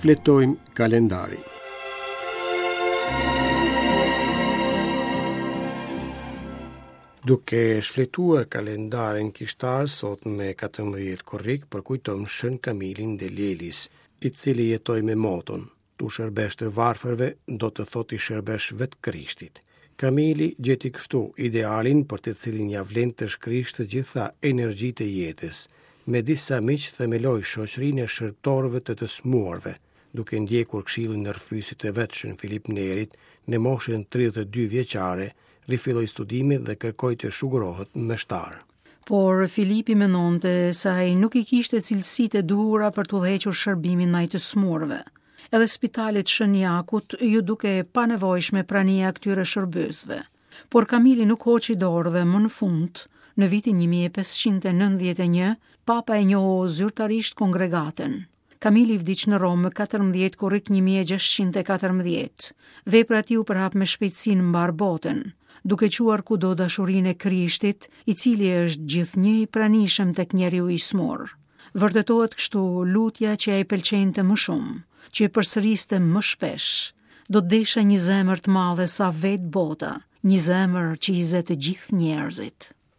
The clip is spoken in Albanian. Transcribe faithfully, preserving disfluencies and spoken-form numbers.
Shfletojmë kalendarin. Duke shfletuar kalendarin kishtar sot me katërmbëdhjetë korrik përkujtojmë Shën Kamilin de Lelis, i cili jetoi me moton "T'u shërbesh të varfërve do të thotë t'i shërbesh vetë Krishtit." Kamili gjeti kështu idealin për të cilin ia vlen të shkrish të gjitha energjitë e jetës. Me disa miq themeloi shoqërinë e shërbëtorëve të të sëmurëve, duke ndjekur këshillin e rrëfyesit të vet Shën Filip Nerit, në moshën tridhjetë e dy vjeçare, rifilloi studimet dhe kërkoi të shugurohet meshtar. Por Filipi mendonte se ai nuk i kishte cilësitë e duhura për të udhëhequr shërbimin ndaj të sëmurëve. Edhe spitalit Shën Jakut ju duke e panevojshme prania e këtyre shërbyesve. Por Kamili nuk hoqi dorë dhe më në fund, në vitin një mijë e pesëqind e nëntëdhjetë e një, Papa e njohu zyrtarisht kongregatën. Kamili vdiq në Romë më katërmbëdhjetë korrik një mijë e gjashtëqind e katërmbëdhjetë. Vepra e tij u përhap me shpejtësi në mbar botën, duke çuar kudo dashurinë e Krishtit, i cili është gjithnjë i pranishëm tek njeriu i smur. Vërtetohet kështu lutja që ai pëlqente më shumë, që e përsëriste më shpesh. Do të desha një zemër të madhe sa vetë bota, një zemër që i zë të gjithë njerëzit.